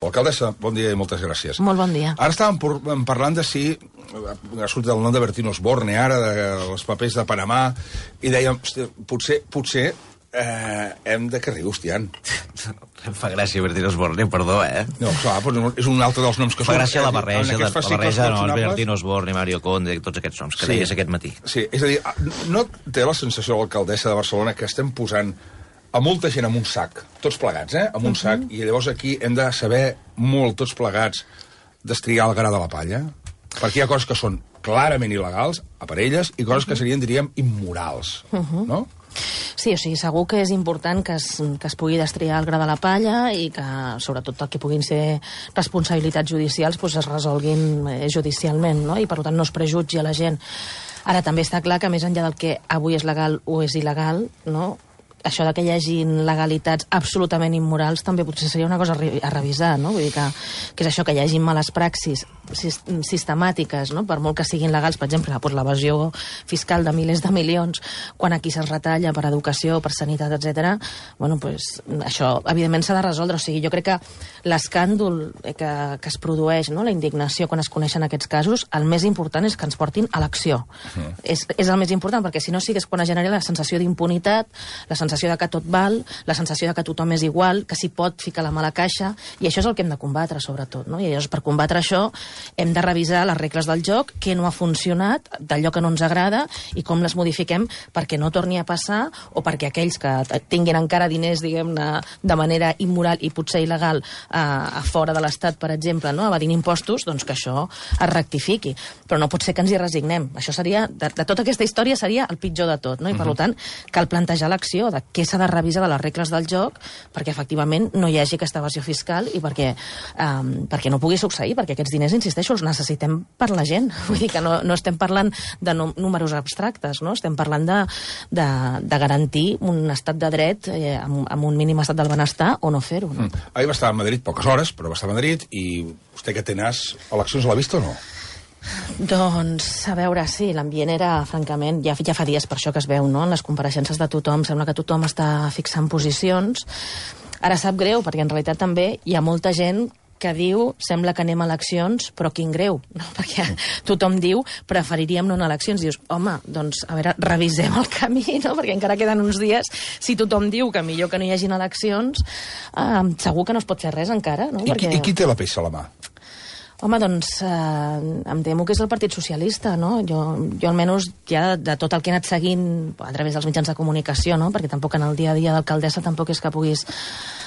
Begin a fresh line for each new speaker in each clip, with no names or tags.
Alcaldessa, bon dia i moltes gràcies.
Molt bon dia.
Ara estàvem parlant de si ha sortit el nom de Bertín Osborne, ara, dels papers de Panamà, i dèiem, hòstia, potser hem de carrer, hostiant.
Em fa gràcia Bertín Osborne, perdó,
No, clar, però és un altre dels noms que
fa gràcia la barreja,
Bertín
Osborne, Mario Conde, tots aquests noms que deies aquest matí.
Sí, és a dir, no té la sensació l'alcaldessa de Barcelona que estem posant a molta gent amb un sac, tots plegats, amb un sac, i llavors aquí hem de saber molt, tots plegats, destriar el gra de la palla, perquè hi ha coses que són clarament il·legals, a per elles, i coses que serien, diríem, immorals, no?
Sí, o sigui, segur que és important que es pugui destriar el gra de la palla i que, sobretot, el que puguin ser responsabilitats judicials, doncs es resolguin judicialment, no? I, per tant, no es prejutgi a la gent. Ara, també està clar que, més enllà del que avui és legal o és il·legal, no?, això de que hi hagin legalitats absolutament immorals també potser seria una cosa a revisar, no? Vull dir que és això, que hi hagin males praxis sistemàtiques, no? Per molt que siguin legals, per exemple, l'evasió fiscal de milers de milions, quan aquí se'ls retalla per educació, per sanitat, etc. Bueno, doncs això, evidentment, s'ha de resoldre. O sigui, jo crec que l'escàndol que es produeix, no? La indignació quan es coneixen aquests casos, el més important és que ens portin a l'acció. És el més important, perquè si no sí que és quan es genera la sensació d'impunitat, la sensació de que tot val, la sensació de que tothom és igual, que s'hi pot ficar la mà a la caixa, i això és el que hem de combatre, sobretot, no? I llavors, per combatre això, hem de revisar les regles del joc, què no ha funcionat, d'allò que no ens agrada, i com les modifiquem perquè no torni a passar, o perquè aquells que tinguin encara diners, diguem-ne, de manera immoral i potser il·legal a fora de l'Estat, per exemple, no? Evadint impostos, doncs que això es rectifiqui. Però no pot ser que ens hi resignem. Això seria, de tota aquesta història, seria el pitjor de tot, no? I, per tant, cal plantejar l'acció de què s'ha de revisar de les regles del joc perquè, efectivament, no hi hagi aquesta evasió fiscal i perquè no pugui succeir, perquè aquests diners, insisteixo, els necessitem per la gent. Vull dir que no estem parlant de números abstractes, no? Estem parlant de garantir un estat de dret amb un mínim estat del benestar o no fer-ho. No?
Ahir va estar a Madrid poques hores, però va estar a Madrid, i vostè que té nas, eleccions l'ha vist o no?
Doncs, a veure, sí, l'ambient era, francament, ja fa dies per això que es veu, no? En les compareixences de tothom, sembla que tothom està fixant posicions. Ara sap greu, perquè en realitat també hi ha molta gent que diu, sembla que anem a eleccions, però quin greu, no? Perquè tothom diu, preferiríem no anar a eleccions. Dius, home, doncs, a veure, revisem el camí, no? Perquè encara queden uns dies, si tothom diu que millor que no hi hagin eleccions, segur que no es pot fer res encara, no?
I qui té la peça a la mà?
Home, doncs, em temo que és el Partit Socialista, no? Jo almenys, ja de tot el que he anat seguint a través dels mitjans de comunicació, no? Perquè tampoc en el dia a dia d'alcaldessa tampoc és que puguis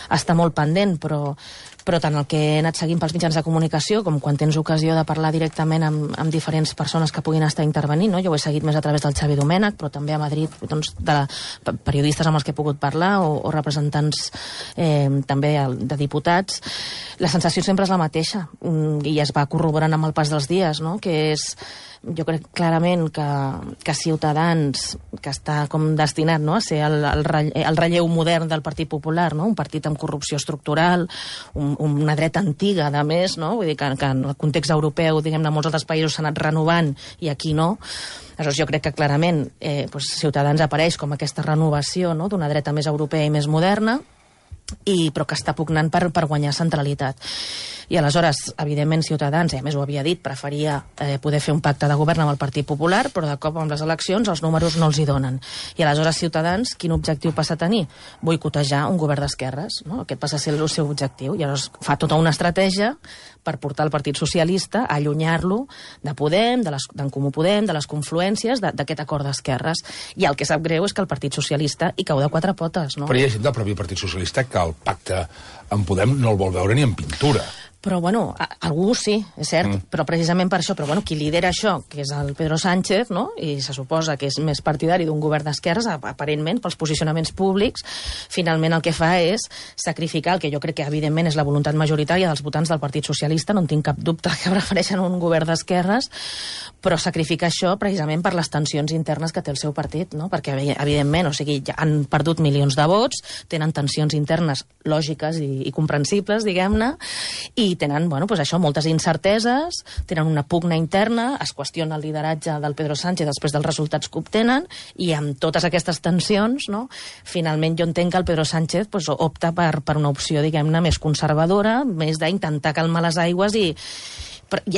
estar molt pendent, però tant el que he anat seguint pels mitjans de comunicació com quan tens ocasió de parlar directament amb diferents persones que puguin estar intervenint, no? Jo ho he seguit més a través del Xavi Domènech, però també a Madrid, doncs, de periodistes amb els que he pogut parlar o representants també de diputats. La sensació sempre és la mateixa i es va corroborant amb el pas dels dies, no? Que és, jo crec clarament que Ciutadans, que està com destinat, no?, a ser el relleu modern del Partit Popular, no? Un partit amb corrupció estructural, una dreta antiga, a més, no? Vull dir que en el context europeu, diguem-ne, molts altres països s'ha anat renovant i aquí no. Aleshores, jo crec que clarament Ciutadans apareix com aquesta renovació, no?, d'una dreta més europea i més moderna, però que està pugnant per guanyar centralitat. I aleshores, evidentment, Ciutadans, a més ho havia dit, preferia poder fer un pacte de govern amb el Partit Popular, però de cop amb les eleccions els números no els hi donen. I aleshores Ciutadans, quin objectiu passa a tenir? Boicotejar un govern d'esquerres, no? Aquest passa a ser el seu objectiu. I aleshores fa tota una estratègia per portar el Partit Socialista a allunyar-lo de Podem, d'en Comú Podem, de les confluències d'aquest acord d'esquerres. I el que sap greu és que el Partit Socialista hi cau de quatre potes, no?
Però hi ha gent del propi Partit Socialista que el pacte amb Podem no el vol veure ni en pintura.
Però, bueno, algú sí, és cert, però precisament per això, però, bueno, qui lidera això, que és el Pedro Sánchez, no?, i se suposa que és més partidari d'un govern d'esquerres, aparentment, pels posicionaments públics, finalment el que fa és sacrificar el que jo crec que, evidentment, és la voluntat majoritària dels votants del Partit Socialista, no en tinc cap dubte que prefereixen un govern d'esquerres, però sacrificar això precisament per les tensions internes que té el seu partit, no?, perquè, evidentment, o sigui, ja han perdut milions de vots, tenen tensions internes lògiques i comprensibles, diguem-ne, i tenen, bueno, doncs això, moltes incerteses, tenen una pugna interna, es qüestiona el lideratge del Pedro Sánchez després dels resultats que obtenen, i amb totes aquestes tensions, no, finalment jo entenc que el Pedro Sánchez doncs, opta per una opció, diguem-ne, més conservadora, més d'intentar calmar les aigües i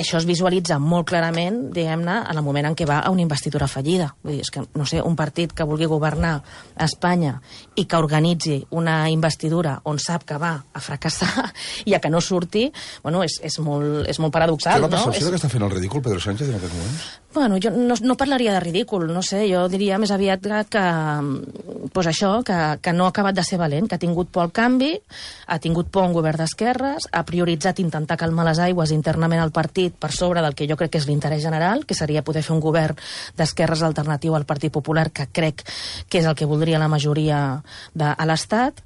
això es visualitza molt clarament, diguem-ne, en el moment en què va a una investidura fallida. Vull dir, és que, no sé, un partit que vulgui governar a Espanya i que organitzi una investidura on sap que va a fracassar i a que no surti, bueno, és molt paradoxal,
no? Té la
no?
percepció que està fent el ridícul Pedro Sánchez en aquest moment?
Bueno, jo no parlaria de ridícul, no sé, jo diria més aviat que no ha acabat de ser valent, que ha tingut por al canvi, ha tingut por a un govern d'esquerres, ha prioritzat intentar calmar les aigües internament al partit per sobre del que jo crec que és l'interès general, que seria poder fer un govern d'esquerres alternatiu al Partit Popular, que crec que és el que voldria la majoria a l'Estat,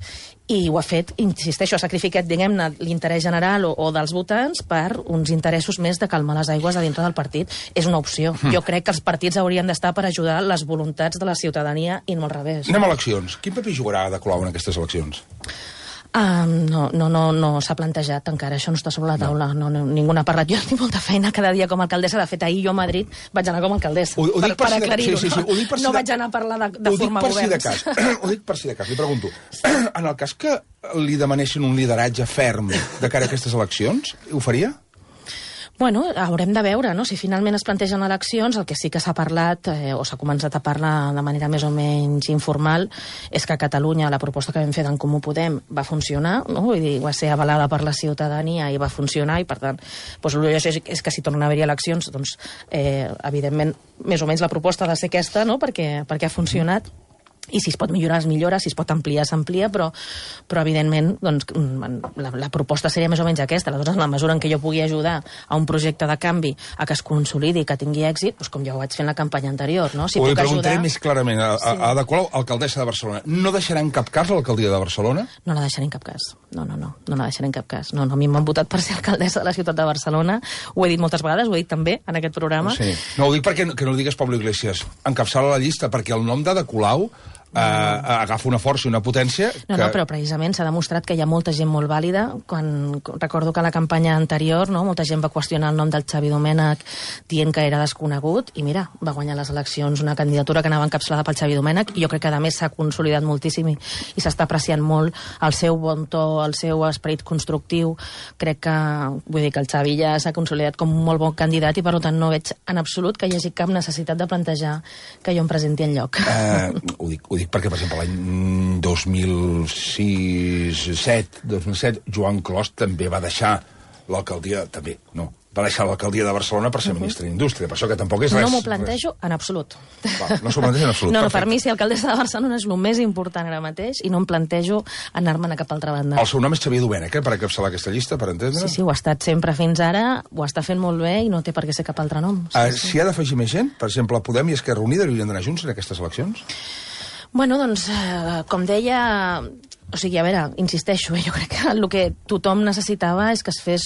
i ho ha fet, insisteixo, ha sacrificat, diguem-ne, l'interès general o dels votants per uns interessos més de calmar les aigües a dintre del partit. És una opció. Jo crec que els partits haurien d'estar per ajudar les voluntats de la ciutadania i no al revés.
Anem a eleccions. Quin paper jugarà Ada Colau en aquestes eleccions?
No s'ha plantejat encara, això no està sobre la taula. No, ningú n'ha parlat. Jo tinc molta feina cada dia com a alcaldessa. De fet, ahir jo a Madrid vaig anar com a alcaldessa.
Ho dic per
aclarir-ho.
Sí,
no vaig anar a parlar de formar governs.
Ho dic per si de cas. Li pregunto, en el cas que li demanessin un lideratge ferm de cara a aquestes eleccions, ho faria?
Bueno, haurem de veure, no? Si finalment es plantegen eleccions, el que sí que s'ha parlat, o s'ha començat a parlar de manera més o menys informal, és que a Catalunya la proposta que vam fer d'en Comú Podem va funcionar, no? Vull dir, va ser avalada per la ciutadania i va funcionar, i per tant, doncs, el millor és que si tornen a haver-hi eleccions, doncs, evidentment, més o menys la proposta ha de ser aquesta, no? Perquè ha funcionat. I si es pot millorar, es millora, si es pot ampliar, s'amplia, però evidentment doncs, la proposta seria més o menys aquesta. Aleshores, en la mesura en què jo pugui ajudar a un projecte de canvi a que es consolidi, que tingui èxit, doncs, com ja ho vaig fer en la campanya anterior. No? Si
ho
puc
preguntaré
ajudar...
més clarament. A Ada Colau, alcaldessa de Barcelona, no deixarà en cap cas l'alcaldia de Barcelona? No
la deixaré en cap cas. No la deixaré en cap cas. No, a mi m'han votat per ser alcaldessa de la ciutat de Barcelona. Ho he dit moltes vegades, ho he dit també en aquest programa.
Sí. No, ho dic perquè que no digues Pablo Iglesias. Encapçala la llista, perquè el nom d'Ada Colau agafa una força i una potència que...
No, però precisament s'ha demostrat que hi ha molta gent molt vàlida. Recordo que a la campanya anterior, no, molta gent va qüestionar el nom del Xavi Domènech dient que era desconegut, i mira, va guanyar les eleccions una candidatura que anava encapçalada pel Xavi Domènech, i jo crec que a més s'ha consolidat moltíssim i s'està apreciant molt el seu bon to, el seu esperit constructiu. Crec que, vull dir, que el Xavi ja s'ha consolidat com un molt bon candidat, i per tant no veig en absolut que hi hagi cap necessitat de plantejar que jo em presenti enlloc.
Ho dic perquè, per exemple, l'any 2007, Joan Clos també va deixar l'alcaldia, va deixar l'alcaldia de Barcelona per ser ministre d'Indústria, per això que tampoc és res.
No m'ho plantejo en absolut.
No s'ho planteja en absolut.
No, per mi ser alcaldessa de Barcelona és el més important ara mateix, i no em plantejo anar-me'n a cap altra banda.
El seu nom és Xavier Domènech, per encapçalar aquesta llista, per entendre?
Sí, ho ha estat sempre fins ara, ho està fent molt bé i no té per què ser cap altre nom.
Si ha d'afegir més gent, per exemple, Podem i Esquerra Unida haurien d'anar junts en aquestes eleccions?
Bueno, doncs, com deia... O sigui, a veure, insisteixo, jo crec que el que tothom necessitava és que es fes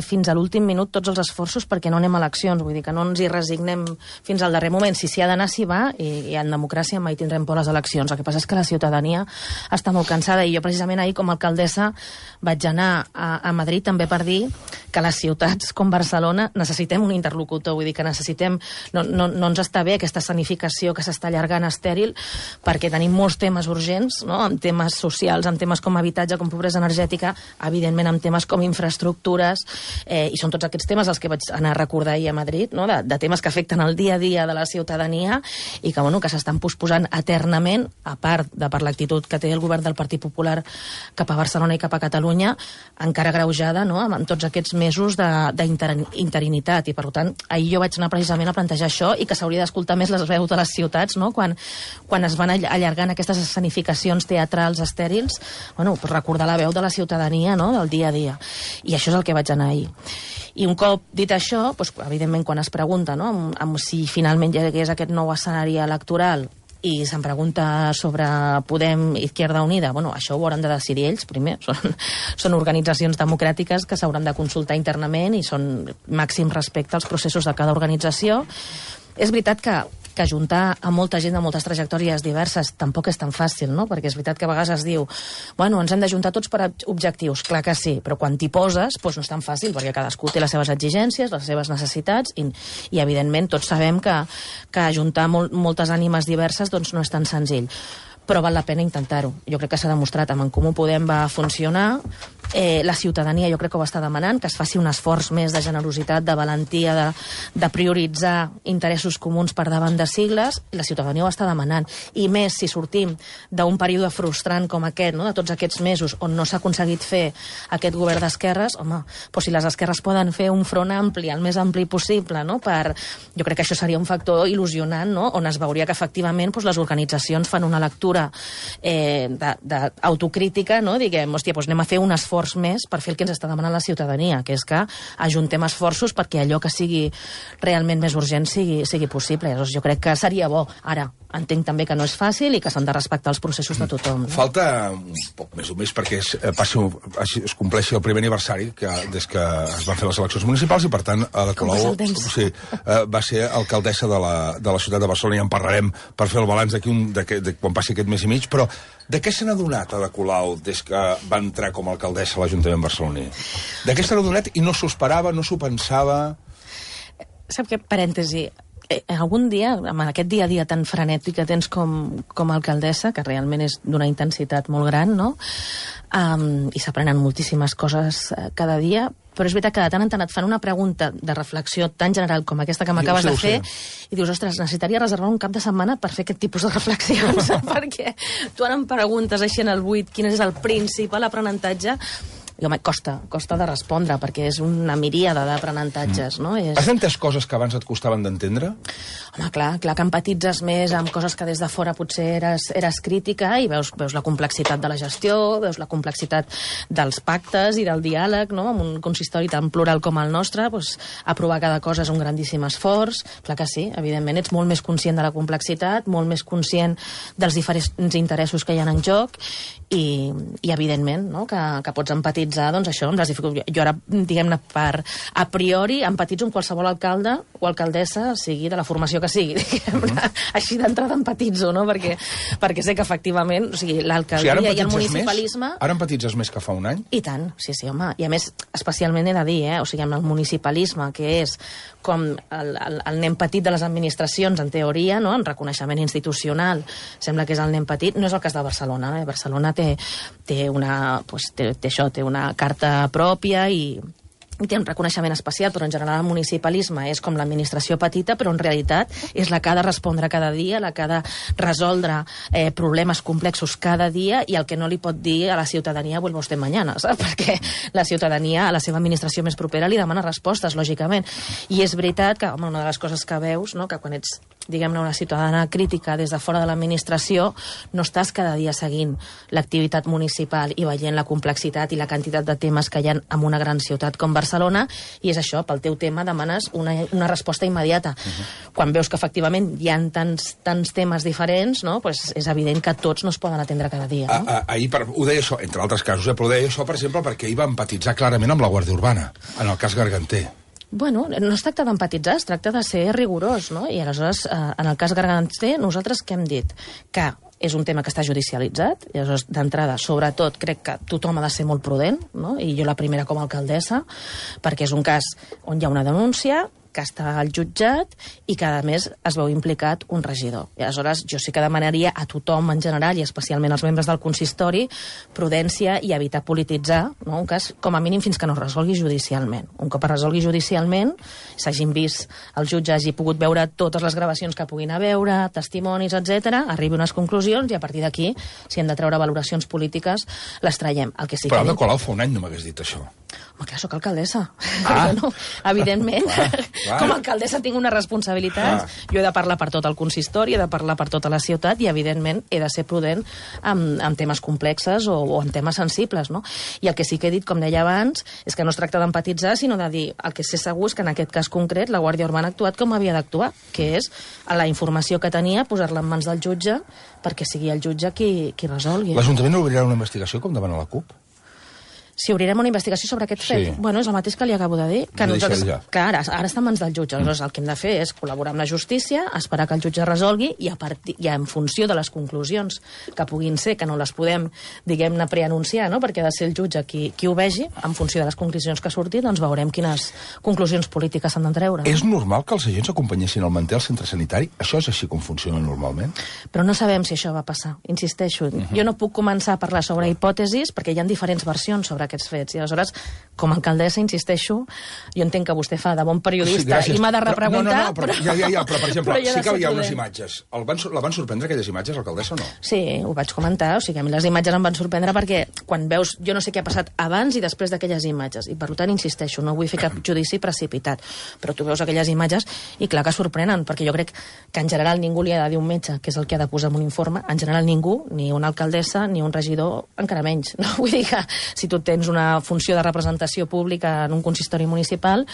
fins a l'últim minut tots els esforços perquè no anem a eleccions, vull dir que no ens hi resignem fins al darrer moment. Si s'hi ha d'anar, s'hi va, i en democràcia mai tindrem por a les eleccions. El que passa és que la ciutadania està molt cansada, i jo precisament ahir com a alcaldessa vaig anar a Madrid també per dir que les ciutats com Barcelona necessitem un interlocutor, vull dir que necessitem... No ens està bé aquesta escenificació que s'està allargant estèril, perquè tenim molts temes urgents, no?, en temes socials, en temes com habitatge, com pobresa energètica, evidentment en temes com infraestructures, i són tots aquests temes els que vaig anar a recordar ahir a Madrid, no?, de temes que afecten el dia a dia de la ciutadania i que, bueno, que s'estan posposant eternament, a part de per l'actitud que té el govern del Partit Popular cap a Barcelona i cap a Catalunya, encara greujada, no?, amb tots aquests mesos d'interinitat. I, per tant, ahir jo vaig anar precisament a plantejar això, i que s'hauria d'escoltar més les veus de les ciutats, no?, quan es van allargant aquestes escenificacions teatrals estèrils, bueno, per recordar la veu de la ciutadania, no?, del dia a dia. I això és el que vaig anar ahir. I un cop dit això, doncs, evidentment, quan es pregunta, no?, amb si finalment hi hagués aquest nou escenari electoral, i se'm pregunta sobre Podem i Izquierda Unida, bueno, això ho hauran de decidir ells primer. Són organitzacions democràtiques que s'hauran de consultar internament i són màxim respecte als processos de cada organització. És veritat que que ajuntar a molta gent de moltes trajectòries diverses tampoc és tan fàcil, no? Perquè és veritat que a vegades es diu bueno, ens hem d'ajuntar tots per objectius. Clar que sí, però quan t'hi poses doncs no és tan fàcil, perquè cadascú té les seves exigències, les seves necessitats i evidentment tots sabem que ajuntar moltes ànimes diverses doncs no és tan senzill. Però val la pena intentar-ho. Jo crec que s'ha demostrat amb En Comú Podem va funcionar, la ciutadania jo crec que ho està demanant, que es faci un esforç més de generositat, de valentia, de prioritzar interessos comuns per davant de sigles, i la ciutadania ho està demanant. I més si sortim d'un període frustrant com aquest, no? De tots aquests mesos on no s'ha aconseguit fer aquest govern d'esquerres, home, doncs si les esquerres poden fer un front ampli, el més ampli possible, no? Jo crec que això seria un factor il·lusionant, no? On es veuria que efectivament les organitzacions fan una lectura d'autocrítica, no? Diguem, hòstia, doncs anem a fer un esforç més per fer el que ens està demanant la ciutadania, que és que ajuntem esforços perquè allò que sigui realment més urgent sigui possible. Llavors, jo crec que seria bo. Ara, entenc també que no és fàcil i que s'han de respectar els processos de tothom. No?
Falta un poc més o més perquè es compleixi el primer aniversari des que es van fer les eleccions municipals i, per tant, Ada Colau va ser alcaldessa de la ciutat de Barcelona, i en parlarem per fer el balanç de quan passi aquest mes i mig, però de què se n'ha donat Ada Colau des que va entrar com a alcaldessa a l'Ajuntament barceloní? De què se n'ha donat i no s'ho esperava, no s'ho pensava?
Sap què? Parèntesi. Algun dia, amb aquest dia a dia tan frenètic que tens com a alcaldessa, que realment és d'una intensitat molt gran, no? I s'aprenen moltíssimes coses cada dia, però és veritat que de tant en tant et fan una pregunta de reflexió tan general com aquesta que m'acabes de fer i dius, ostres, necessitaria reservar un cap de setmana per fer aquest tipus de reflexions, perquè tu ara em preguntes així en el buit quin és el principal aprenentatge. I, home, costa de respondre, perquè és una miríada d'aprenentatges, no?
Has entès coses que abans et costaven d'entendre?
Home, clar que empatitzes més amb coses que des de fora potser eres crítica i veus la complexitat de la gestió, veus la complexitat dels pactes i del diàleg, no? Amb un consistori tan plural com el nostre, doncs, aprovar cada cosa és un grandíssim esforç. Clar que sí, evidentment, ets molt més conscient de la complexitat, molt més conscient dels diferents interessos que hi ha en joc i evidentment, no? que pots empatitzar, doncs això, amb les dificultats. Jo ara, diguem-ne, a priori, empatitzo amb qualsevol alcalde o alcaldessa, sigui de la formació que sigui, diguem-ne. Així d'entrada empatitzo, no? Perquè sé que, efectivament, o sigui, l'alcaldia i el municipalisme...
Ara empatitzes més que fa un any?
I tant, sí, home. I a més, especialment he de dir, o sigui, amb el municipalisme, que és com el nen petit de les administracions, en teoria, no? En reconeixement institucional, sembla que és el nen petit. No és el cas de Barcelona, eh? Barcelona té una carta pròpia i té un reconeixement especial, però en general el municipalisme és com l'administració petita, però en realitat és la que ha de respondre cada dia, la que ha de resoldre problemes complexos cada dia, i el que no li pot dir a la ciutadania vuelva usted mañana, saps? Perquè la ciutadania a la seva administració més propera li demana respostes, lògicament. I és veritat que, home, una de les coses que veus, no?, que quan ets, diguem-ne, una ciutadana crítica des de fora de l'administració, no estàs cada dia seguint l'activitat municipal i veient la complexitat i la quantitat de temes que hi ha en una gran ciutat com Barcelona, i és això, pel teu tema demanes una resposta immediata. Quan veus que efectivament hi ha tants temes diferents, no? Pues és evident que tots no es poden atendre cada dia. No?
Ahir ho deia això, entre altres casos, però ho deia això, per exemple, perquè ahir va empatitzar clarament amb la Guàrdia Urbana, en el cas Garganter.
Bueno, no es tracta d'empatitzar, es tracta de ser rigorós, no? I aleshores, en el cas Garganter, nosaltres què hem dit? Que és un tema que està judicialitzat, i aleshores, d'entrada, sobretot, crec que tothom ha de ser molt prudent, no? I jo la primera com a alcaldessa, perquè és un cas on hi ha una denúncia, que està al jutjat i que, a més, es veu implicat un regidor. I aleshores jo sí que demanaria a tothom en general, i especialment als membres del consistori, prudència i evitar polititzar, no? Un cas, com a mínim, fins que no es resolgui judicialment. Un cop es resolgui judicialment, s'hagin vist, el jutge hagi pogut veure totes les gravacions que puguin haver, testimonis, etc, arribi a unes conclusions i a partir d'aquí, si hem de treure valoracions polítiques, les traiem. El que sí
però
que
Ada Colau fa un any no m'hagués dit això.
Home, clar, soc alcaldessa. No, evidentment, com a alcaldessa tinc una responsabilitat. Jo he de parlar per tot el consistori, he de parlar per tota la ciutat i, evidentment, he de ser prudent amb temes complexes o amb temes sensibles, no? I el que sí que he dit, com deia abans, és que no es tracta d'empatitzar, sinó de dir, el que sé segur és que en aquest cas concret la Guàrdia Urbana ha actuat com havia d'actuar, que és a la informació que tenia, posar-la en mans del jutge perquè sigui el jutge qui resolgui.
L'Ajuntament obrirà una investigació com demana la CUP?
Si obrirem una investigació sobre aquest fet, bueno, és el mateix que li acabo de dir, que ara està en mans del jutge. Aleshores, el que hem de fer és col·laborar amb la justícia, esperar que el jutge resolgui i en funció de les conclusions que puguin ser, que no les podem, diguem-ne, preanunciar, no? Perquè ha de ser el jutge qui ho vegi, en funció de les conclusions que surtin, doncs veurem quines conclusions polítiques s'han de treure.
És normal que els agents acompanyessin el manter al centre sanitari? Això és així com funciona normalment?
Però no sabem si això va passar, insisteixo. Jo no puc començar a parlar sobre hipòtesis perquè hi ha diferents versions sobre aquests fets. I aleshores, com a alcaldessa, insisteixo, jo entenc que vostè fa de bon periodista i m'ha de repreguntar...
Però, per exemple, sí que hi ha unes imatges. La van sorprendre, aquelles imatges, alcaldessa, o no?
Sí, ho vaig comentar. O sigui, a mi les imatges em van sorprendre perquè quan veus... Jo no sé què ha passat abans i després d'aquelles imatges. I per tant, insisteixo, no vull fer cap judici precipitat. Però tu veus aquelles imatges i clar que sorprenen, perquè jo crec que en general ningú li ha de dir un metge, que és el que ha de posar en un informe. En general ningú, ni una alcaldessa, ni un regidor, encara menys. No? Vull dir que si tu tens una funció de representació pública en un consistori municipal,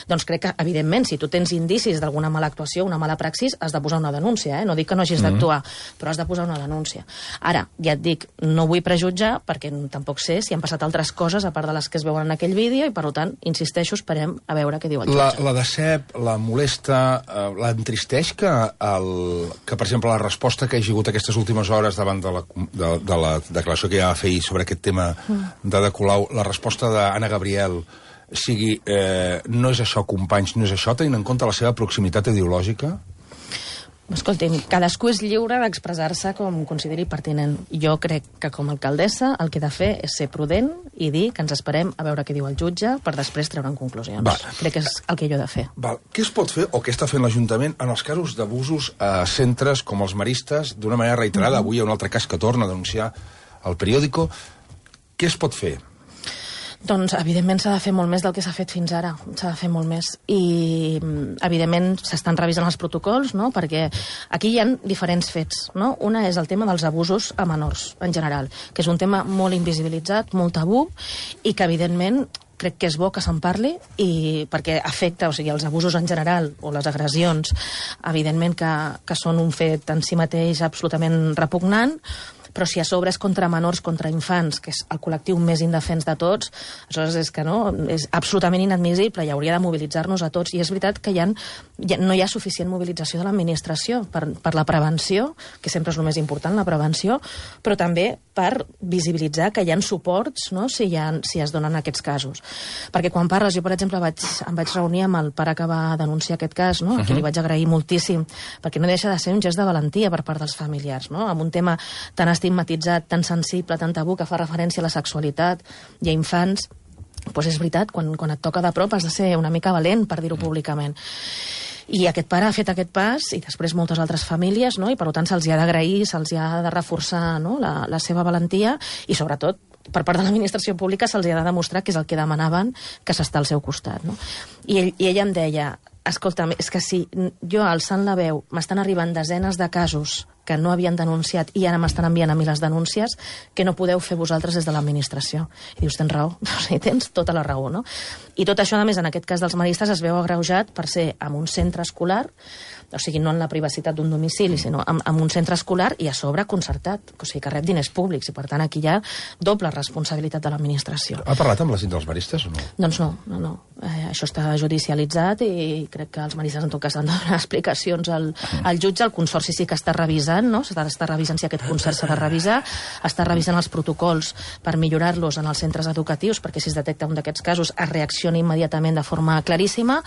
doncs crec que, evidentment, si tu tens indicis d'alguna mala actuació, una mala praxis, has de posar una denúncia, No dic que no hagis d'actuar, però has de posar una denúncia. Ara, ja et dic, no vull prejutjar, perquè tampoc sé si han passat altres coses, a part de les que es veuen en aquell vídeo, i per tant, insisteixo, esperem a veure què diu el jutge.
La decep, la molesta, l'entristeix que, per exemple, la resposta que ha hagut aquestes últimes hores davant de la declaració que ja va fer sobre aquest tema de Colau, la resposta d'Anna Gabriel sigui no és això, companys, no és això, tenint en compte la seva proximitat ideològica?
Escolti'm, cadascú és lliure d'expressar-se com consideri pertinent. Jo crec que com a alcaldessa el que he de fer és ser prudent i dir que ens esperem a veure què diu el jutge per després treure'n conclusions. Crec que és el que jo he de fer.
Què es pot fer o què està fent l'Ajuntament en els casos d'abusos a centres com els maristes d'una manera reiterada? Avui hi ha un altre cas que torna a denunciar el periòdico. Què es pot fer?
Doncs, evidentment, s'ha de fer molt més del que s'ha fet fins ara. S'ha de fer molt més. I, evidentment, s'estan revisant els protocols, no? Perquè aquí hi ha diferents fets, no? Una és el tema dels abusos a menors, en general, que és un tema molt invisibilitzat, molt tabú, i que, evidentment, crec que és bo que se'n parli perquè afecta, o sigui, els abusos en general o les agressions, evidentment que són un fet en si mateix absolutament repugnant, però si a sobre és contra menors, contra infants, que és el col·lectiu més indefens de tots, aleshores és que és absolutament inadmissible i hauria de mobilitzar-nos a tots. I és veritat que no hi ha suficient mobilització de l'administració per la prevenció, que sempre és el més important, la prevenció, però també per visibilitzar que hi ha suports, no?, si es donen aquests casos. Perquè quan parles, jo, per exemple, em vaig reunir amb el pare que va denunciar aquest cas, no?, a qui li vaig agrair moltíssim, perquè no deixa de ser un gest de valentia per part dels familiars, no?, amb un tema tan estigmatitzat, tan sensible, tan tabú, que fa referència a la sexualitat i a infants, doncs és veritat, quan et toca de prop has de ser una mica valent, per dir-ho públicament. I aquest pare ha fet aquest pas, i després moltes altres famílies, no? I per tant se'ls ha d'agrair, se'ls ha de reforçar, no?, la seva valentia, i sobretot per part de l'administració pública se'ls ha de demostrar que és el que demanaven, que s'està al seu costat, no? I ella em deia, escolta'm, és que si jo alçant la veu m'estan arribant desenes de casos que no havien denunciat i ara m'estan enviant a mi les denúncies, que no podeu fer vosaltres des de l'administració. I dius, tens raó, o sigui, tens tota la raó, no? I tot això, a més, en aquest cas dels maristes, es veu agreujat per ser en un centre escolar, o sigui, no en la privacitat d'un domicili, sinó en un centre escolar i a sobre concertat, o sigui, que rep diners públics, i per tant aquí hi ha doble responsabilitat de l'administració.
Ha parlat amb la gent dels maristes o no?
Doncs no. Això està judicialitzat i crec que els maristes en tot cas han de donar explicacions al jutge. El consorci sí que està revisant, no? S'està revisant si aquest concert s'ha de revisar, està revisant els protocols per millorar-los en els centres educatius, perquè si es detecta un d'aquests casos es reacciona immediatament de forma claríssima,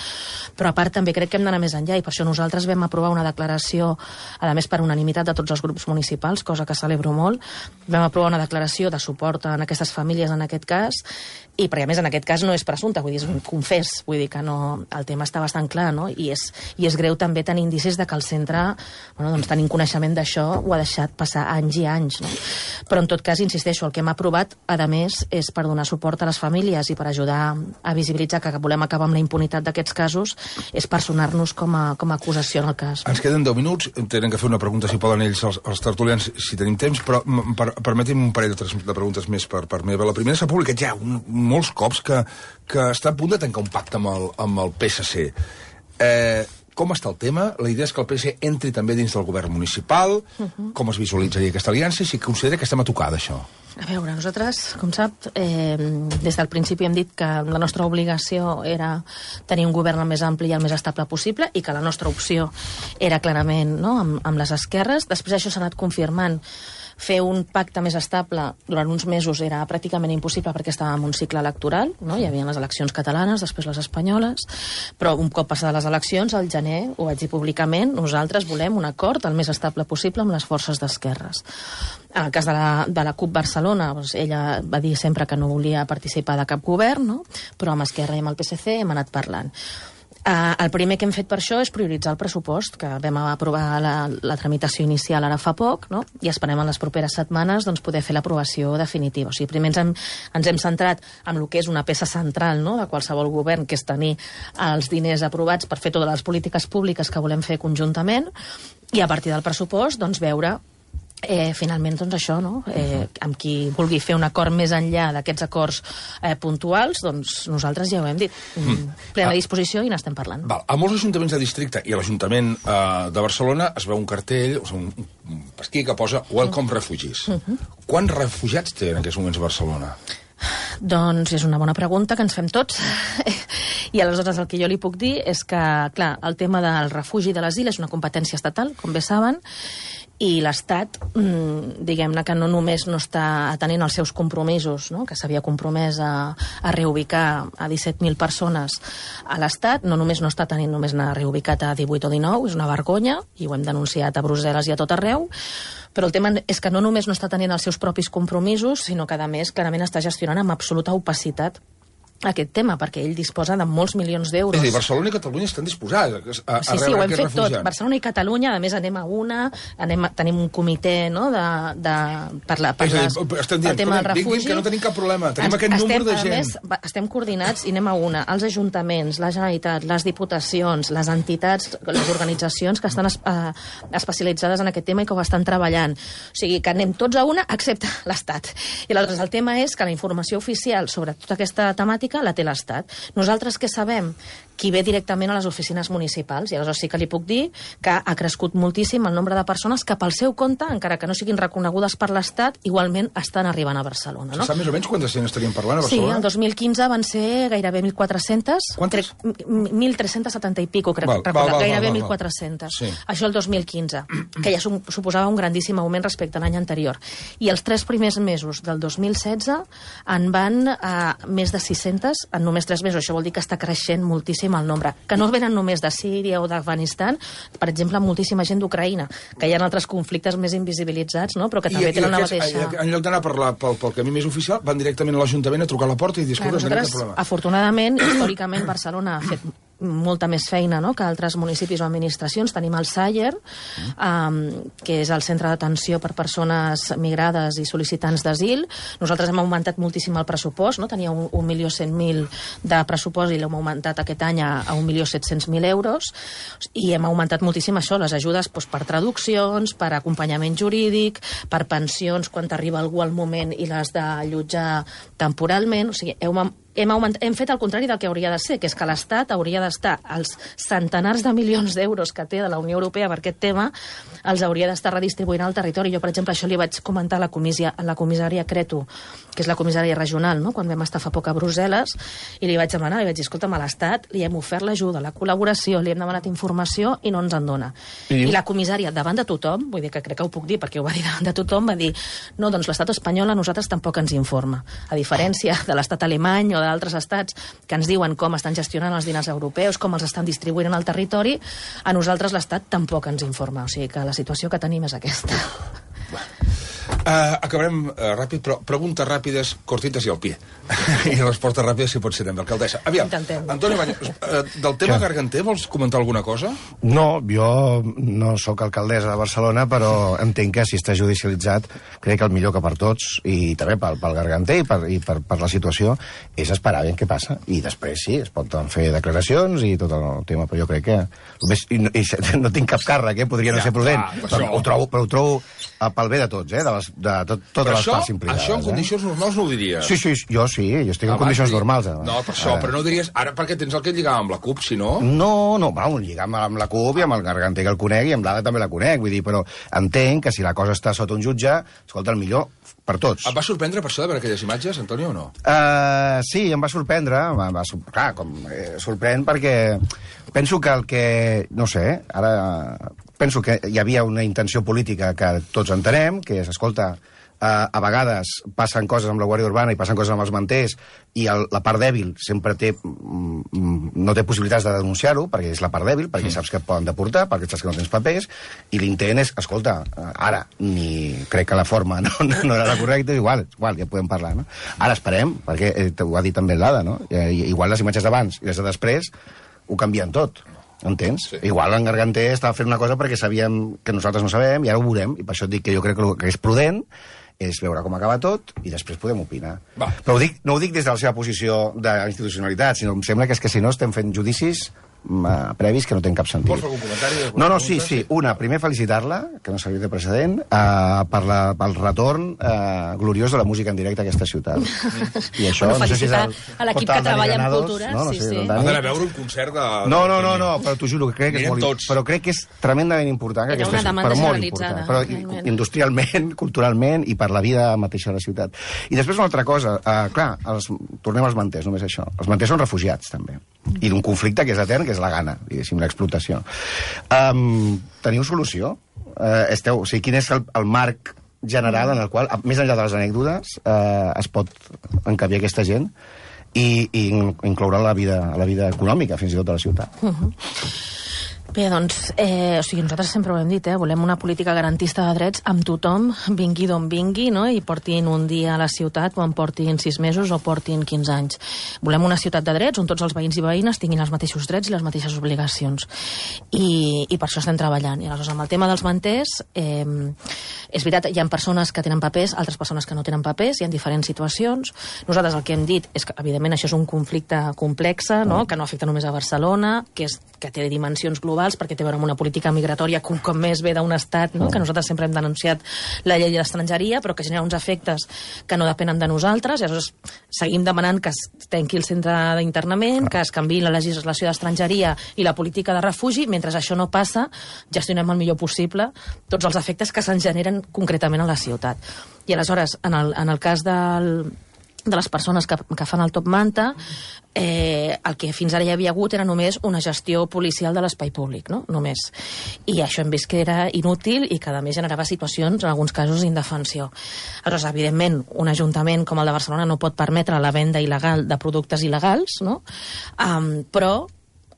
però a part també crec que hem d'anar més enllà, i per això nosaltres vam aprovar una declaració, a més per unanimitat de tots els grups municipals, cosa que celebro molt. Vam aprovar una declaració de suport a aquestes famílies en aquest cas, i perquè a més en aquest cas no és presumpte, vull dir, és un confés, vull dir que no, el tema està bastant clar, no? I és greu també tenir indicis de que el centre, doncs tenint coneixement d'això, ho ha deixat passar anys i anys, no? Però en tot cas, insisteixo, el que hem aprovat, a més, és per donar suport a les famílies i per ajudar a visibilitzar que volem acabar amb la impunitat d'aquests casos, és personar-nos com a acusació en el cas.
Ens queden 10 minuts, tenen que fer una pregunta, si poden ells, els tertulians, si tenim temps, però permeti'm un parell de preguntes més per meva. La primera s'ha publicat ja molts cops que està a punt de tancar un pacte amb el PSC. Com està el tema? La idea és que el PSC entri també dins del govern municipal. Com es visualitzaria aquesta aliança? I si considera que estem a tocar d'això?
A veure, nosaltres, com sap, des del principi hem dit que la nostra obligació era tenir un govern el més ampli i el més estable possible i que la nostra opció era clarament, no?, amb les esquerres. Després això s'ha anat confirmant. Fer un pacte més estable durant uns mesos era pràcticament impossible perquè estàvem en un cicle electoral, no? Hi havia les eleccions catalanes, després les espanyoles, però un cop passades les eleccions, al gener, ho vaig dir públicament, nosaltres volem un acord el més estable possible amb les forces d'esquerres. En el cas de la CUP Barcelona, doncs ella va dir sempre que no volia participar de cap govern, no? Però amb Esquerra i amb el PSC hem anat parlant. El primer que hem fet per això és prioritzar el pressupost, que vam aprovar la tramitació inicial ara fa poc, no? I esperem en les properes setmanes doncs, poder fer l'aprovació definitiva. O sigui, primer ens hem centrat en el que és una peça central, no?, de qualsevol govern, que és tenir els diners aprovats per fer totes les polítiques públiques que volem fer conjuntament, i a partir del pressupost doncs, veure finalment, doncs això, no? Amb qui vulgui fer un acord més enllà d'aquests acords puntuals, doncs nosaltres ja ho hem dit. Plena disposició i n'estem parlant.
Val. A molts ajuntaments de districte i a l'Ajuntament de Barcelona es veu un cartell, un pasquí que posa Welcome Refugees. Quants refugiats té en aquests moments a Barcelona?
Doncs és una bona pregunta que ens fem tots. I aleshores el que jo li puc dir és que, clar, el tema del refugi i de l'asil és una competència estatal, com bé saben, i l'Estat, diguem-ne que no només no està atenent els seus compromisos, no?, que s'havia compromès a reubicar a 17.000 persones a l'Estat, no només no està atenent, només n'ha reubicat a 18 o 19, és una vergonya, i ho hem denunciat a Brussel·les i a tot arreu, però el tema és que no només no està atenent els seus propis compromisos, sinó que, a més, clarament està gestionant amb absoluta opacitat aquest tema, perquè ell disposa de molts milions d'euros.
És a dir, Barcelona i Catalunya estan disposats a
sí,
rebre
ho hem
aquests
fet
refugiats.
tot. Barcelona i Catalunya, a més, anem a una, tenim un comitè, no?, per
estem dient,
el tema del refugi.
que no tenim cap problema, tenim aquest número de gent.
A més, estem coordinats i anem a una. Els ajuntaments, la Generalitat, les diputacions, les entitats, les organitzacions que estan especialitzades en aquest tema i que ho estan treballant. O sigui, que anem tots a una, excepte l'Estat. I aleshores el tema és que la informació oficial sobre tota aquesta temàtica la té l'Estat. Nosaltres què sabem? Qui ve directament a les oficines municipals. I aleshores sí que li puc dir que ha crescut moltíssim el nombre de persones que pel seu compte, encara que no siguin reconegudes per l'Estat, igualment estan arribant a Barcelona. No?
Se sap més o menys quantes gent estaríem parlant a
Sí,
Barcelona?
el 2015 van ser gairebé 1.400.
Quantes?
1.370 i pico, crec. Gairebé 1.400.
Sí.
Això el 2015, que ja suposava un grandíssim augment respecte a l'any anterior. I els 3 primers mesos del 2016 en van més de 600 en només 3 mesos. Això vol dir que està creixent moltíssim el nombre. Que no venen només de Síria o d'Afganistan, per exemple, moltíssima gent d'Ucraïna, que hi ha altres conflictes més invisibilitzats, no?, però que també tenen la mateixa...
En lloc d'anar pel camí més oficial, van directament a l'Ajuntament a trucar a la porta i dir, escolta, tenim cap problema.
Afortunadament, històricament, Barcelona ha fet molta més feina, no?, que altres municipis o administracions. Tenim el SAIER, que és el centre d'atenció per persones migrades i sol·licitants d'asil. Nosaltres hem augmentat moltíssim el pressupost, no? Tenia 1.100.000 de pressupost i l'hem augmentat aquest any a 1.700.000 euros, i hem augmentat moltíssim això, les ajudes doncs, per traduccions, per acompanyament jurídic, per pensions quan t'arriba algú al moment i l'has d'allotjar temporalment. O sigui, hem fet el contrari del que hauria de ser, que és que l'Estat hauria d'estar, els centenars de milions d'euros que té de la Unió Europea per aquest tema, els hauria d'estar redistribuint al territori. Jo, per exemple, això li vaig comentar a la comissària Cretu, que és la comissària regional, no?, quan vam estar fa poc a Brussel·les, i li vaig demanar, li vaig dir, escolta'm, a l'Estat li hem ofert l'ajuda, la col·laboració, li hem demanat informació i no ens en dona. I la comissària, davant de tothom, vull dir que crec que ho puc dir perquè ho va dir davant de tothom, va dir, no, doncs l'Estat espanyol a nosaltres tampoc ens informa. A diferència de l'Estat alemany o d'altres estats que ens diuen com estan gestionant els diners europeus, com els estan distribuint en el territori, a nosaltres l'Estat tampoc ens informa. O sigui que la situació que tenim és aquesta.
Acabarem ràpid, però preguntes ràpides, cortites i al pie. I respostes ràpides, si pot ser també, alcaldessa. Aviam, Antoni Baños, del tema Garganter vols comentar alguna cosa?
No, jo no sóc alcaldessa de Barcelona, però entenc que si està judicialitzat, crec que el millor que per tots, i també pel Garganter i per la situació, és esperar ben què passa. I després sí, es pot fer declaracions i tot el tema, però jo crec que... No tinc cap càrrec, podria no ser prudent, però ho trobo pel bé de tots, de de totes les parts implicades.
Això en condicions normals no ho diries.
Sí, jo estic en condicions normals.
No, per això, però no diries... Ara perquè tens el que lligava amb la CUP, si no...
No, lligam amb la CUP i amb el Garganter que el conec i amb l'Ada també la conec, vull dir, però entenc que si la cosa està sota un jutge, escolta, el millor per tots.
Et va sorprendre per això de veure aquelles imatges, Antonio, o no?
Sí, em va sorprendre, clar, sorprèn perquè penso que el que... No sé, ara... Penso que hi havia una intenció política que tots entenem, que és, escolta, a vegades passen coses amb la Guàrdia Urbana i passen coses amb els manters i la part dèbil sempre no té possibilitats de denunciar-ho, perquè és la part dèbil, perquè saps que et poden deportar, perquè saps que no tens papers, i l'intent és, escolta, ara, crec que la forma no era la correcta, igual, ja podem parlar, no? Ara esperem, perquè ho ha dit també l'Ada, no? Igual les imatges d'abans i les de després ho canvien tot. Entens? Sí. Igual en Garganter estava fent una cosa perquè sabíem que nosaltres no sabem i ara ho veurem, i per això et dic que jo crec que el que és prudent és veure com acaba tot i després podem opinar. Va. Però no ho dic des de la seva posició d'institucionalitat, sinó em sembla que és que si no estem fent judicis previs que no tenen cap sentit.
Vols fer algun comentari?
No, sí. Una, primer felicitar-la, que no s'havia de precedent, pel retorn gloriós de la música en directe a aquesta ciutat. I això,
no sé si és a l'equip que treballa en cultura.
Sí.
Ha d'anar a veure un concert de...
No, però t'ho juro, crec que és molt... Però crec que és tremendament important que aquesta ciutat, però molt important. Però industrialment, culturalment i per la vida mateixa de la ciutat. I després una altra cosa, clar, tornem als manters, només això. Els manters són refugiats, també. I d'un conflicte que és etern, que és la gana, diguéssim, l'explotació. Teniu solució? O sigui, quin és el marc general en el qual, més enllà de les anècdotes, es pot encabir aquesta gent i incloure la vida econòmica, fins i tot, de la ciutat?
Bé, doncs, nosaltres sempre ho hem dit, volem una política garantista de drets amb tothom, vingui d'on vingui, no? I portin un dia a la ciutat quan portin 6 mesos o portin 15 anys. Volem una ciutat de drets on tots els veïns i veïnes tinguin els mateixos drets i les mateixes obligacions. I per això estem treballant. I aleshores, amb el tema dels manters, és veritat, hi ha persones que tenen papers, altres persones que no tenen papers, hi ha diferents situacions. Nosaltres el que hem dit és que, evidentment, això és un conflicte complex, no? Que no afecta només a Barcelona, que té dimensions globals, perquè té a veure amb una política migratòria que un cop més ve d'un estat, no? Que nosaltres sempre hem denunciat la llei d'estrangeria, però que genera uns efectes que no depenen de nosaltres, i aleshores seguim demanant que es tanqui el centre d'internament, que es canviï la legislació d'estrangeria i la política de refugi. Mentre això no passa, gestionem el millor possible tots els efectes que se'n generen concretament a la ciutat. I aleshores, en el cas de les persones que fan el top manta, el que fins ara hi havia hagut era només una gestió policial de l'espai públic, no? Només. I això hem vist que era inútil i que a més generava situacions, en alguns casos, d'indefensió. Aleshores, evidentment, un ajuntament com el de Barcelona no pot permetre la venda il·legal de productes il·legals, no? Però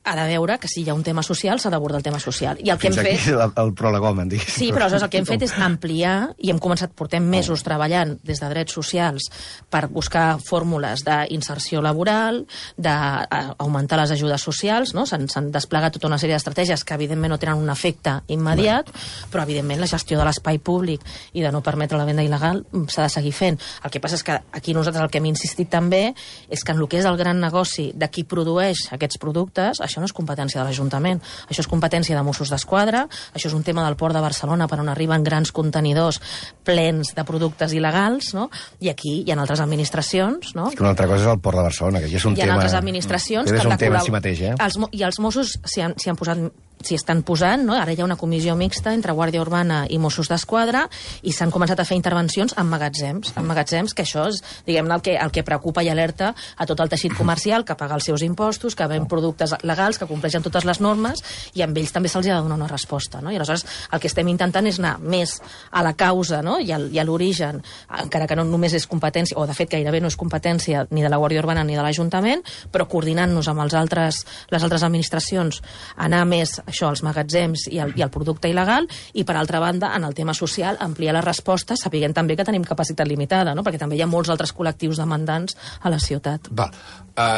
ha de veure que si hi ha un tema social s'ha d'abordar el tema social. I el que hem fet...
Fins aquí el prolegòmen, diguéssim.
Sí, però aleshores el que hem fet és ampliar, i hem començat, portem mesos treballant des de drets socials per buscar fórmules d'inserció laboral, d'augmentar les ajudes socials, no? S'han desplegat tota una sèrie d'estratègies que evidentment no tenen un efecte immediat, però evidentment la gestió de l'espai públic i de no permetre la venda il·legal s'ha de seguir fent. El que passa és que aquí nosaltres el que hem insistit també és que en el que és el gran negoci de qui produeix aquests productes, això no és competència de l'Ajuntament, això és competència de Mossos d'Esquadra, això és un tema del Port de Barcelona per on arriben grans contenidors plens de productes il·legals, no? I aquí hi ha altres administracions, no?
És que una altra cosa és el Port de Barcelona, que ja és un tema...
Hi ha altres administracions
que és un tema en si mateix,
I els Mossos s'hi estan posant, no? Ara hi ha una comissió mixta entre Guàrdia Urbana i Mossos d'Esquadra i s'han començat a fer intervencions en magatzems, que això és, diguem-ne, el que preocupa i alerta a tot el teixit comercial que paga els seus impostos, que ven productes legals, que compleixen totes les normes, i amb ells també se'ls ha de donar una resposta, no? I aleshores el que estem intentant és anar més a la causa, no? I a l'origen, encara que no només és competència, o de fet gairebé no és competència ni de la Guàrdia Urbana ni de l'Ajuntament, però coordinant-nos amb les altres administracions, anar més això, als magatzems i el producte il·legal, i per altra banda, en el tema social, ampliar la resposta, sapiguent també que tenim capacitat limitada, no? Perquè també hi ha molts altres col·lectius demandants a la ciutat.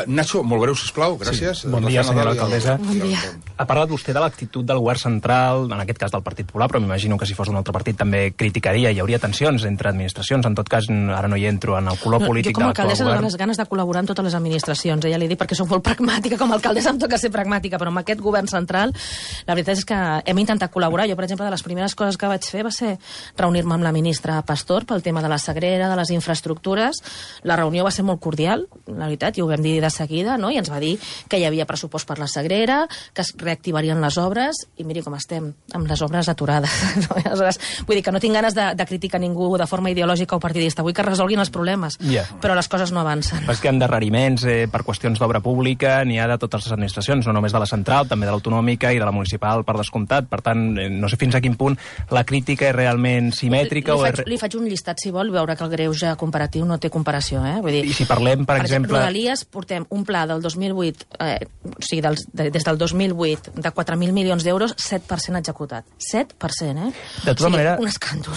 Nacho, molt breu, sisplau, gràcies.
Sí. Bon dia, senyora alcaldessa.
Bon dia.
Ha parlat vostè de l'actitud del govern central, en aquest cas del Partit Popular, però m'imagino que si fos un altre partit també criticaria, hi hauria tensions entre administracions, en tot cas ara no hi entro en el color polític de l'actual govern. Jo com a alcaldessa dono les ganes de col·laborar amb totes les administracions, ja li dic perquè soc molt pragmàtica, com a alcaldessa em toca ser pragmàtica, però amb aquest govern central
La veritat és que hem intentat col·laborar. Jo, per exemple, de les primeres coses que vaig fer va ser reunir-me amb la ministra Pastor pel tema de la Sagrera, de les infraestructures. La reunió va ser molt cordial, la veritat, i ho vam dir de seguida, no? I ens va dir que hi havia pressupost per la Sagrera, que es reactivarien les obres, i miri com estem, amb les obres aturades. Aleshores, vull dir que no tinc ganes de criticar ningú de forma ideològica o partidista. Vull que resolguin els problemes, però les coses no avancen.
És que endarreriments per qüestions d'obra pública n'hi ha de totes les administracions, no només de la central, també de l'autonòmica i de la municipal, per descomptat. Per tant, no sé fins a quin punt la crítica és realment simètrica.
Li faig un llistat, si vol, veure que el greuge comparatiu no té comparació. Vull dir,
i si parlem, per exemple...
Rodalies, portem un pla del 2008, o sigui, des del 2008, de 4.000 milions d'euros, 7% executat. 7%,
De tota manera...
Un escàndol.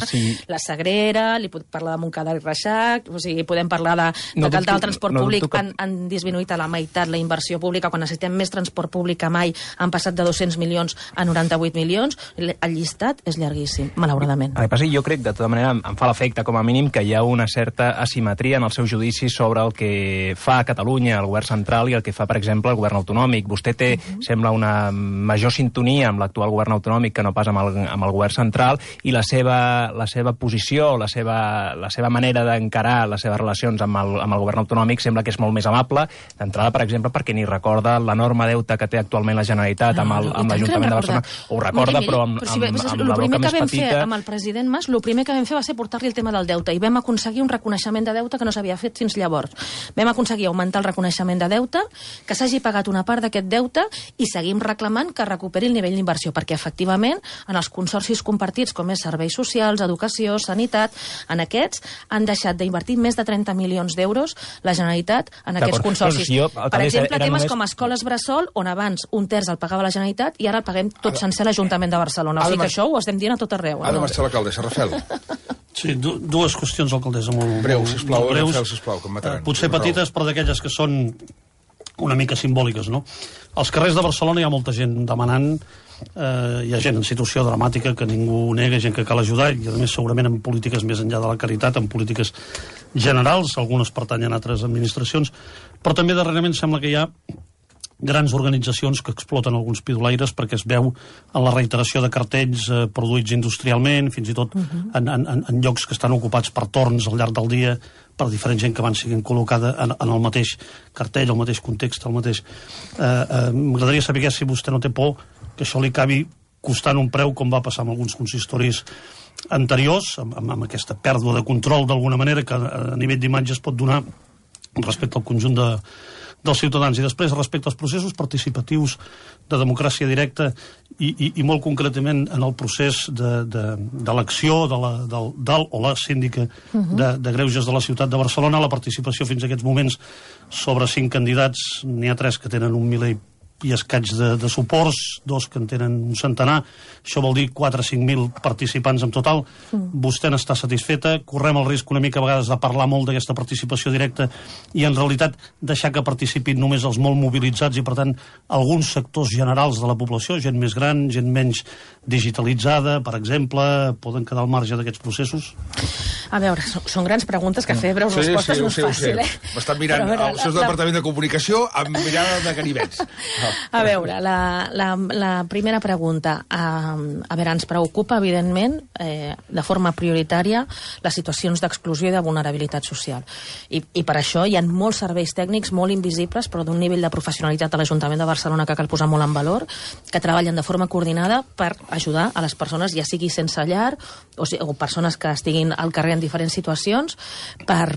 Sí.
La Sagrera, li puc parlar de Montcada i Reixac, o sigui, podem parlar de que el transport públic han disminuït a la meitat la inversió pública, quan necessitem més transport públic que mai, han passat de 200 milions a 98 milions. El llistat és llarguíssim, malauradament.
Jo crec, de tota manera, em fa l'efecte, com a mínim, que hi ha una certa asimetria en el seu judici sobre el que fa a Catalunya el govern central i el que fa, per exemple, el govern autonòmic. Vostè té, sembla, una major sintonia amb l'actual govern autonòmic que no pas amb el govern central, i la seva posició, la seva manera d'encarar les seves relacions amb el govern autonòmic sembla que és molt més amable, d'entrada, per exemple, perquè ni recorda l'enorme deute que té actualment la Generalitat amb l'Ajuntament de Barcelona. Ho recorda, però amb la boca més petita.
Amb el president Mas, el primer que vam fer va ser portar-li el tema del deute, i vam aconseguir un reconeixement de deute que no s'havia fet fins llavors. Vam aconseguir augmentar el reconeixement de deute, que s'hagi pagat una part d'aquest deute, i seguim reclamant que recuperi el nivell d'inversió, perquè efectivament en els consorcis compartits, com és serveis socials, educació, sanitat, en aquests han deixat d'invertir més de 30 milions d'euros la Generalitat en aquests consorcis. Per exemple, temes com escoles bressol, on abans un terç el pagava la Generalitat i ara el paguem tot sencer l'Ajuntament de Barcelona. O sigui que això ho estem dient a tot arreu.
Ha de marxar l'alcaldessa, Rafael.
Sí, dues qüestions, alcaldessa, molt
breus, sisplau,
breus.
Sisplau, que em mataran.
Potser petites, però d'aquelles que són una mica simbòliques, no? Als carrers de Barcelona hi ha molta gent demanant, hi ha gent en situació dramàtica que ningú nega, gent que cal ajudar, i a més segurament en polítiques més enllà de la caritat, en polítiques generals, algunes pertanyen a altres administracions, però també darrerament sembla que hi ha grans organitzacions que exploten alguns pidolaires perquè es veu en la reiteració de cartells produïts industrialment, fins i tot en llocs que estan ocupats per torns al llarg del dia, per diferent gent que van siguent col·locada en el mateix cartell, el mateix context, el mateix... M'agradaria saber si vostè no té por que això li acabi costant un preu, com va passar amb alguns consistoris anteriors, amb aquesta pèrdua de control d'alguna manera que a nivell d'imatge es pot donar respecte al conjunt dels ciutadans. I després, respecte als processos participatius de democràcia directa i molt concretament en el procés d'elecció del o la síndica de greuges de la ciutat de Barcelona, la participació fins a aquests moments sobre 5 candidats, n'hi ha 3 que tenen 1 miler i escaig de suports, 2 que en tenen un centenar, això vol dir 4 o 5.000 participants en total. Vostè n'està satisfeta? Correm el risc una mica a vegades de parlar molt d'aquesta participació directa i en realitat deixar que participin només els molt mobilitzats i per tant alguns sectors generals de la població, gent més gran, gent menys digitalitzada, per exemple, poden quedar al marge d'aquests processos?
A veure, són grans preguntes que fer breus respostes no és fàcil,
M'estan mirant el seu departament de comunicació amb mirada de ganivets.
A veure, la primera pregunta. A veure, ens preocupa, evidentment, de forma prioritària, les situacions d'exclusió i de vulnerabilitat social. I per això hi ha molts serveis tècnics molt invisibles, però d'un nivell de professionalitat a l'Ajuntament de Barcelona que cal posar molt en valor, que treballen de forma coordinada per ajudar a les persones, ja sigui sense llar o persones que estiguin al carrer en diferents situacions, per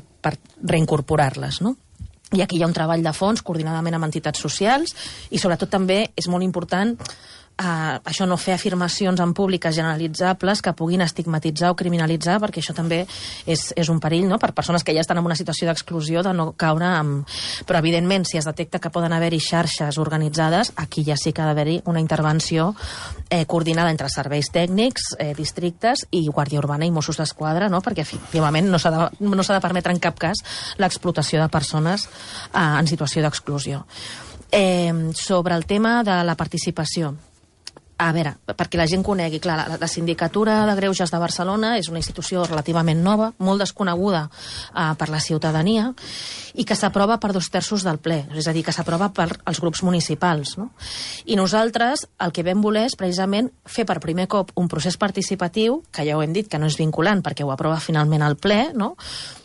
reincorporar-les, no? I aquí hi ha un treball de fons coordinadament amb entitats socials i sobretot també és molt important això, no fer afirmacions en públiques generalitzables que puguin estigmatitzar o criminalitzar, perquè això també és un perill, no?, per persones que ja estan en una situació d'exclusió, de no caure en... Però, evidentment, si es detecta que poden haver-hi xarxes organitzades, aquí ja sí que ha d'haver-hi una intervenció coordinada entre serveis tècnics, districtes i Guàrdia Urbana i Mossos d'Esquadra, no?, perquè, efectivament, no s'ha de permetre en cap cas l'explotació de persones en situació d'exclusió. Sobre el tema de la participació, A veure, perquè la gent conegui, clar, la Sindicatura de Greuges de Barcelona és una institució relativament nova, molt desconeguda per la ciutadania, i que s'aprova per 2/3 del ple, és a dir, que s'aprova per als grups municipals, no? I nosaltres el que vam voler és precisament fer per primer cop un procés participatiu, que ja ho hem dit que no és vinculant perquè ho aprova finalment el ple, no?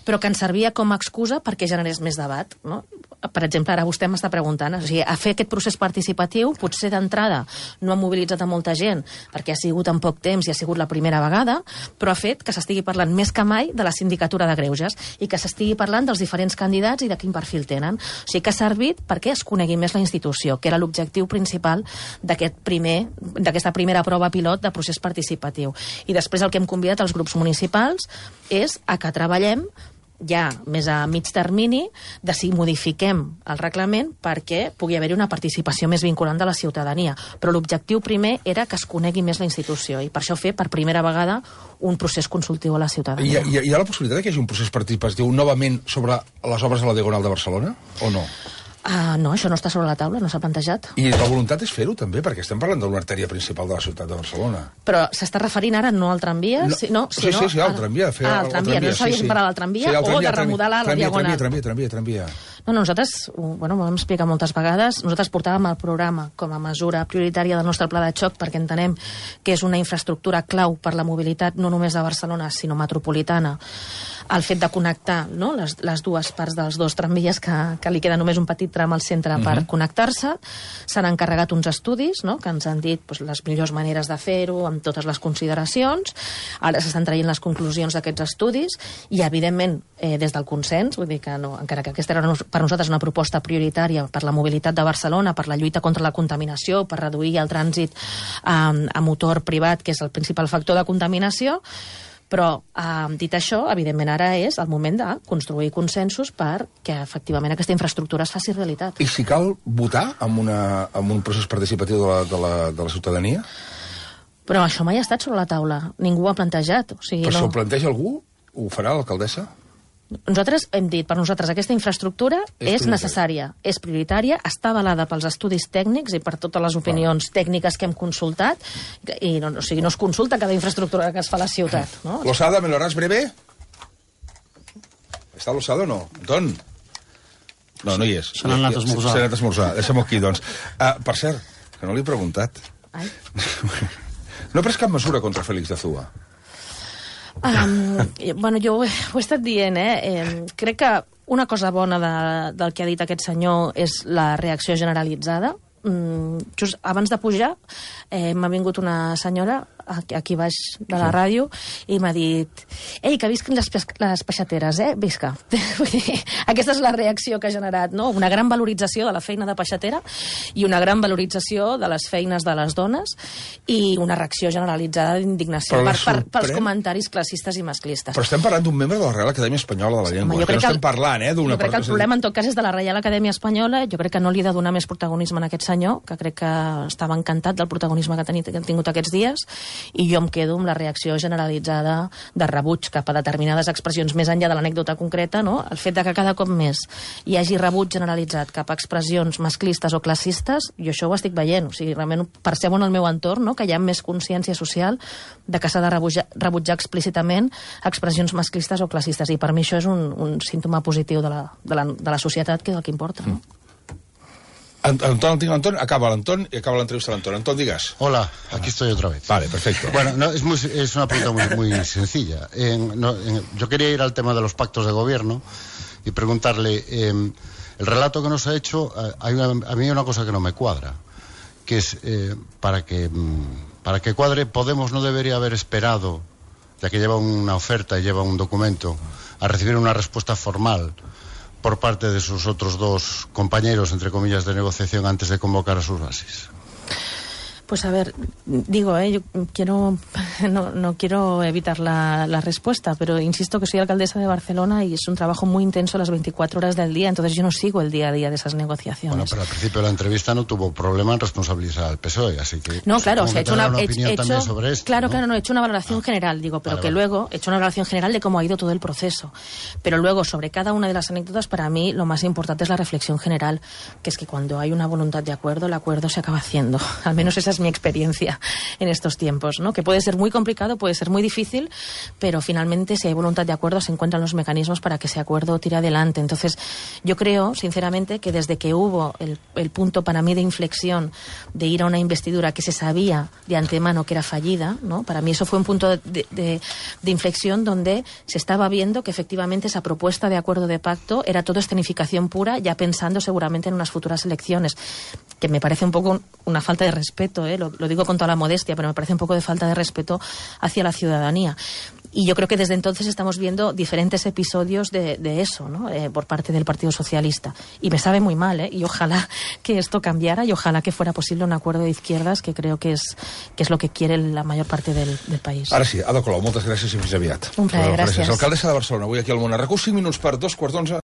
Però que ens servia com a excusa perquè generés més debat, no? Per exemple, ara vostè m'està preguntant, o sigui, a fer aquest procés participatiu, potser d'entrada no ha mobilitzat a molta gent perquè ha sigut en poc temps i ha sigut la primera vegada, però ha fet que s'estigui parlant més que mai de la Sindicatura de Greuges i que s'estigui parlant dels diferents candidats i de quin perfil tenen. O sigui, que ha servit perquè es conegui més la institució, que era l'objectiu principal d'aquesta primera prova pilot de procés participatiu. I després el que hem convidat als grups municipals és a que treballem ja més a mig termini de si modifiquem el reglament perquè pugui haver-hi una participació més vinculant de la ciutadania. Però l'objectiu primer era que es conegui més la institució i per això fer per primera vegada un procés consultiu a la ciutadania.
Hi ha la possibilitat que hi hagi un procés participatiu novament sobre les obres de la Diagonal de Barcelona o no?
No, això no està sobre la taula, no s'ha plantejat.
I la voluntat és fer-ho també, perquè estem parlant d'una artèria principal de la ciutat de Barcelona.
Però s'està referint ara no al tramvia?
Sí, al tramvia.
Al tramvia, no sabíem parlar del tramvia o de remodelar la Diagonal?
Tramvia.
No, nosaltres, ho vam explicar moltes vegades, nosaltres portàvem el programa com a mesura prioritària del nostre pla de xoc perquè entenem que és una infraestructura clau per la mobilitat no només de Barcelona, sinó metropolitana. El fet de connectar, no?, les dues parts dels dos tramvies que li queda només un petit tram al centre per connectar-se. S'han encarregat uns estudis, no?, que ens han dit les millors maneres de fer-ho, amb totes les consideracions. Ara s'estan traient les conclusions d'aquests estudis i, evidentment, des del consens, vull dir que no, encara que aquesta era per nosaltres una proposta prioritària per la mobilitat de Barcelona, per la lluita contra la contaminació, per reduir el trànsit a motor privat, que és el principal factor de contaminació, però, dit això, evidentment ara és el moment de construir consensos perquè efectivament aquesta infraestructura es faci realitat.
I si cal votar amb un procés participatiu de la ciutadania?
Però això mai ha estat sobre la taula. Ningú ho ha plantejat. O sigui,
però si ho planteja algú, ho farà l'alcaldessa?
Nosaltres hem dit, per nosaltres aquesta infraestructura és necessària, és prioritària, està avalada pels estudis tècnics i per totes les opinions tècniques que hem consultat, i no es consulta cada infraestructura que es fa a la ciutat. No?
Losada, ¿me lo harás breve? ¿Està Losada o no? Anton? No hi és.
Se n'ha anat a esmorzar.
Se n'ha anat a esmorzar. Deixa'm aquí, doncs. Per cert, que no li he preguntat.
Ai.
No he pres cap mesura contra Félix de Zúa.
Bueno, jo ho he estat dient, crec que una cosa bona del que ha dit aquest senyor és la reacció generalitzada. Just abans de pujar m'ha vingut una senyora aquí baix de la ràdio i m'ha dit: ei, que visquin les peixateres, visca. Aquesta és la reacció que ha generat, no? Una gran valorització de la feina de peixatera i una gran valorització de les feines de les dones i una reacció generalitzada d'indignació pels comentaris classistes i masclistes.
Però estem parlant d'un membre de la Reial Acadèmia Espanyola de la Llengua.
Jo crec
que no estem parlant, d'una...
Jo crec que el problema en tot cas és de la Reial Acadèmia Espanyola. Jo crec que no li he de donar més protagonisme a aquest senyor, que crec que estava encantat del protagonisme que ha tingut aquests dies, i jo em quedo amb la reacció generalitzada de rebuig cap a determinades expressions més enllà de l'anècdota concreta, no? El fet de que cada cop més hi hagi rebuig generalitzat cap a expressions masclistes o classistes, jo això ho estic veient, o sigui, realment percebo en el meu entorn, no?, que hi ha més consciència social de que s'ha de rebutjar explícitament expressions masclistes o classistes, i per mi això és un símptoma positiu de la societat, que és el que importa, no?
Antón, acaba l'Antón y acaba la entrevista de Antón. Antón, digas.
Hola, aquí estoy otra vez.
Vale, perfecto.
Bueno, no, es una pregunta muy sencilla. Yo quería ir al tema de los pactos de gobierno y preguntarle, el relato que nos ha hecho, a mí hay una cosa que no me cuadra, que es, para que cuadre, Podemos no debería haber esperado, ya que lleva una oferta y lleva un documento, a recibir una respuesta formal por parte de sus otros dos compañeros, entre comillas, de negociación antes de convocar a sus bases.
Pues a ver, digo, yo quiero no quiero evitar la respuesta, pero insisto que soy alcaldesa de Barcelona y es un trabajo muy intenso las 24 horas del día, entonces yo no sigo el día a día de esas negociaciones.
Bueno, pero al principio de la entrevista no tuvo problema en responsabilizar al PSOE, así que...
No, claro, o sea, he hecho una
opinión también sobre esto,
claro,
¿no?
claro, he hecho una valoración general, digo, pero
vale.
Luego he hecho una valoración general de cómo ha ido todo el proceso. Pero luego, sobre cada una de las anécdotas, para mí lo más importante es la reflexión general, que es que cuando hay una voluntad de acuerdo, el acuerdo se acaba haciendo. Al menos esa es mi experiencia en estos tiempos, ¿no? Que puede ser muy complicado, puede ser muy difícil, pero finalmente, si hay voluntad de acuerdo, se encuentran los mecanismos para que ese acuerdo tire adelante. Entonces, yo creo, sinceramente, que desde que hubo el punto para mí de inflexión de ir a una investidura que se sabía de antemano que era fallida, ¿no? Para mí eso fue un punto de inflexión donde se estaba viendo que efectivamente esa propuesta de acuerdo de pacto era todo escenificación pura, ya pensando seguramente en unas futuras elecciones, que me parece un poco una falta de respeto, lo digo con toda la modestia, pero me parece un poco de falta de respeto hacia la ciudadanía. Y yo creo que desde entonces estamos viendo diferentes episodios de eso, ¿no? Por parte del Partido Socialista. Y me sabe muy mal, y ojalá que esto cambiara y ojalá que fuera posible un acuerdo de izquierdas, que creo que és lo que quiere la mayor parte del país.
Ara sí, Ada Colau, moltes gràcies i fins aviat.
Un plaer, gràcies.
Alcaldessa de Barcelona, avui aquí al Món. RAC1, 5 minuts per 2:15.